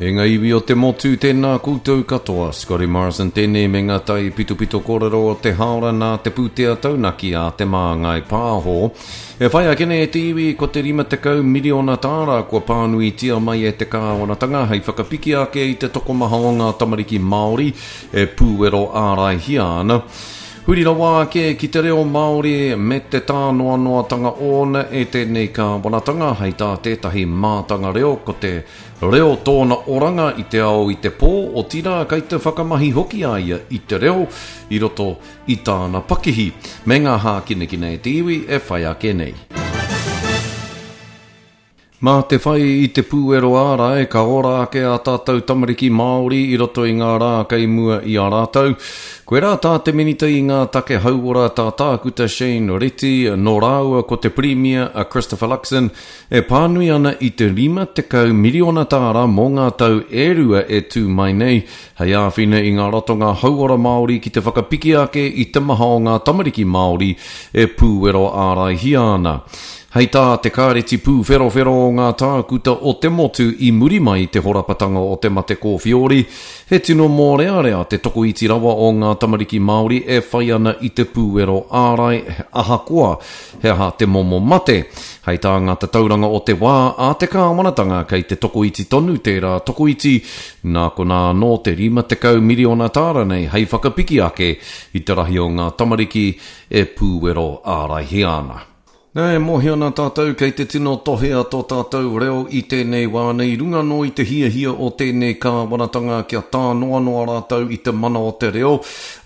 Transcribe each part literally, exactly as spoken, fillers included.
E ngā iwi o te motu, tēnā koutou katoa. Scotty Morrison tēnei me ngā tai pitopito kōrero o te haora nā te pūtea taunaki a Te Māngai Pāho. E whai ake nei e te iwi ko te rima tekau miriona tāra kua pānuitia mai e te kāwanatanga hei whakapiki ake i te tokomaha o ngā tamariki Māori e pūwero āraihia ana. Huri rawa ake ki te reo Māori me te tānoanoatanga ōna e tēnei kāwanatanga hei tā tētahi mātanga reo ko te reo tōna oranga i te ao i te pō, otirā kei te whakamahi hoki a ia i te reo i roto i tāna pakihi me ngā hākinakina e te iwi e whai ake nei. Mā te whai i te pūero ārai, ka ora ake a tātou tamariki Māori i roto i ngā rā kei mua i a rātou. Koirā tā te minita i ngā take hauora tā tākuta Shane Reti, nō rāua ko te Pirimia a Christopher Luxon, e pānui ana i te rima tekau miriona tāra mō ngā tau e rua e tū mai nei, hei āwhina i ngā ratonga hauora Māori ki te whakapiki ake i te maha o ngā tamariki Māori e pūwero āraihia ana. Hei tā te kāreti pūwherowhero o ngā tākuta o te motu i muri mai i te horapatanga o te mate kōwhiori, he tino mōrearea te tokoiti rawa o ngā tamariki Māori e whai ana i te pūwero ārai ahakoa he aha te momo mate. Hei tā ngā tatauranga o te wā a te kāwanatanga kei te tokoiti tonu tērā tokoiti, nā konā anō te rima tekau miriona tāra nei hei whakapiki ake i te rahi o ngā tamariki e pūwero āraihia ana. Nā, e mōhio ana tātou kei te tino tohea tō tātou reo i tēnei wā nei, runga anō i te hiahia o tēnei kāwanatanga kia tānoanoa rātou i te mana o te reo,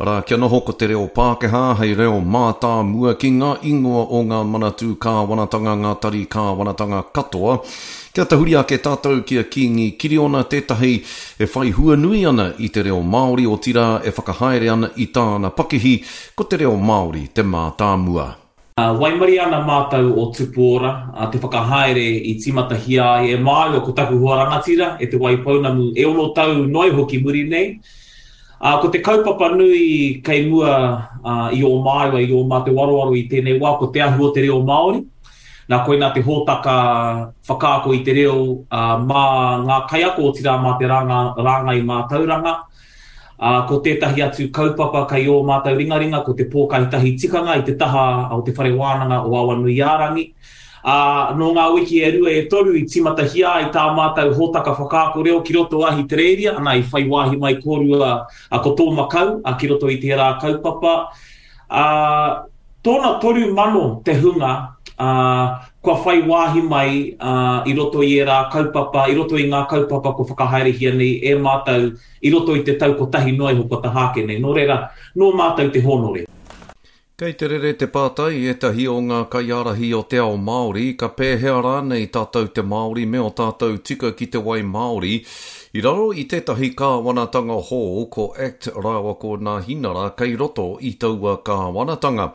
arā, kia noho ko te reo Pākehā hei reo mātāmua ki ngā ingoa o ngā manatū kāwanatanga, ngā tari kāwanatanga katoa. Kia tahuri ake tātou ki a Kīngi Kiriona tētahi e whai hua nui ana i te reo Māori, otirā e whakahaere ana i tāna pakihi, ko te reo Māori te mātāmua. Waimarie ana mātou o Tupu Ora, te whakahaere i tīmatahia ai e māua ko taku hoa rangatira e Te Waipounamu e ono tau noa iho ki muri nei. Ko te kaupapa nui kei mua i ō māua, i ō mātou waroaro i tēnei wā, ko te ahu o te reo Māori. Nā koinā te hōtaka whakaako i te reo mā ngā kaiako, otirā mā te rāngai mātauranga. Ko tētahi atu kaupapa kei ō mātou ringaringa, ko te pōkaitahi tikanga i te taha o te whare wānanga o Awanuiārangi. Nō ngā wiki e rua e toru i tīmatahia ai tā mātou hōtaka whakaako reo ki roto Ahitereiria, ana i whai wāhi mai kōrua ko tō makau ki roto i tērā kaupapa. Tōna toru mano te hunga kua whai wāhi mai i roto i ērā kaupapa, i roto i ngā kaupapa kua whakahaerehia nei e mātou i roto i te tau kotahi noa iho kua taha ake nei. Nō reira, nō mātou te hōnore. Kei te rere te pātai ētahi o ngā kaiārahi o te ao Māori, ka pēhea rānei tātou te Māori me o tātou tika ki te wai Māori, i raro i tētahi kāwanatanga hou ko Act rāua ko Nāhinara kei roto i taua kāwanatanga.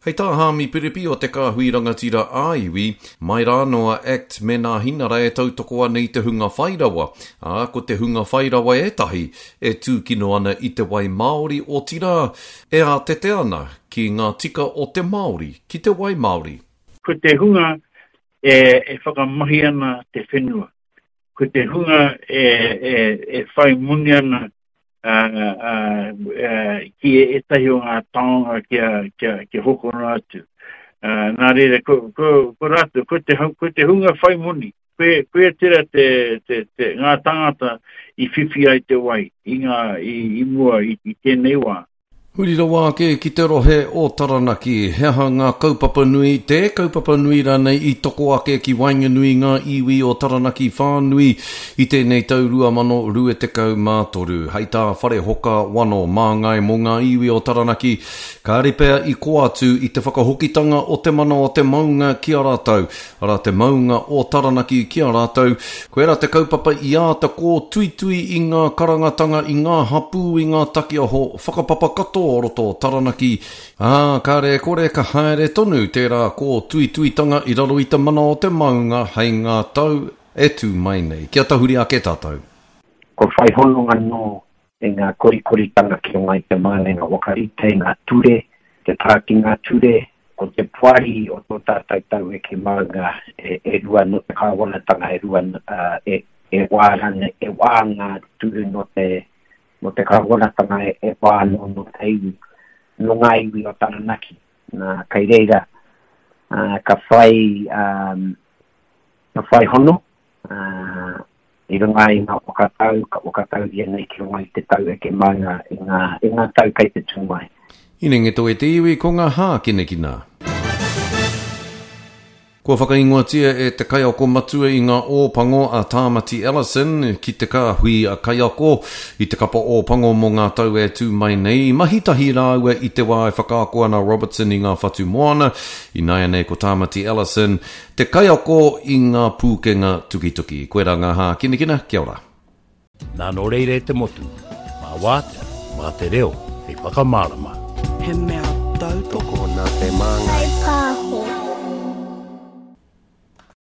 Hei tā Hāmi Piripi o te Kāhui Rangatira ā-iwi, mai rā noa Act me Nāhinara e tautoko ana i te hunga whairawa, ā, ko te hunga whairawa ētahi e tūkino ana i te wai Māori, otirā, e ātete ana ki ngā tika o te Māori, ki te wai Māori. Ko te hunga e, e whakamahi ana te whenua, ko te hunga e, e, e whai moni ana ki ētahi o ngā taonga kia, kia, kia hokona atu. Nā reira, ko, ko, ko rātou, ko te, ko te hunga whai moni, koe, koe tera te, te, te, ngā tangata i whiwhi ai te wai i, ngā, i, i mua i, i tēnei wā. Huri rawa ake ki te rohe o Taranaki, he aha ngā kaupapa nui, te kaupapa nui rānei i toko ake ki waenganui ngā iwi o Taranaki whānui i tēnei tau rua mano rua tekau mā toru. Hei tā Wharehoka Wano māngai mō ngā iwi o Taranaki, kāre pea i ko atu i te whakahokitanga o te mana o te maunga ki a rātou, arā te maunga o Taranaki ki a rātou. Koirā te kaupapa i āta kōtuitui i ngā karangatanga, i ngā hapū, i ngā takiaho whakapapa katoa o roto o Taranaki, ā, kāre e kore ka haere tonu tērā kōtuituitanga i raro i te mana o te maunga hei ngā tau e tū mai nei. Kia tahuri ake tātou. Ko whai hononga nō i ngā korikoritanga ki runga i te mānenga whakarite i ngā ture, te tā ki ngā ture, ko te poari o tō tātou taueke maunga e, e rua nō te kāwanatanga, e rua, uh, e, e wā rānei, e wā ngā ture nō te, nō te kāwanatanga e, e wā nō, nō te iwi, nō ngā iwi o Taranaki. Nā, kei reira, uh, ka whai, um, ka whai hono, uh, i runga i ngā whakatau, ka whakatauria nei ki runga i te tau eke maunga i ngā, i ngā tau kei te tū mai. Hinengeto e te iwi ko ngā hākinakina. Kua whakaingoatia e te kaiako matua i ngā Ōpango a Tāmati Ellison ki te kāhui a kaiako i te kapa Ōpango mō ngā tau e tū mai nei. I mahi tahi rāua i te wā e whakaako ana Robertson i ngā whatu moana. Ināianei ko Tāmati Ellison te kaiako i ngā pūkenga tukituki. Koirā ngā hākinakina, kia ora. Nā nō reira e te motu, mā wātea, mā te reo, hei whakamārama. He mea tautoko nā te māngai.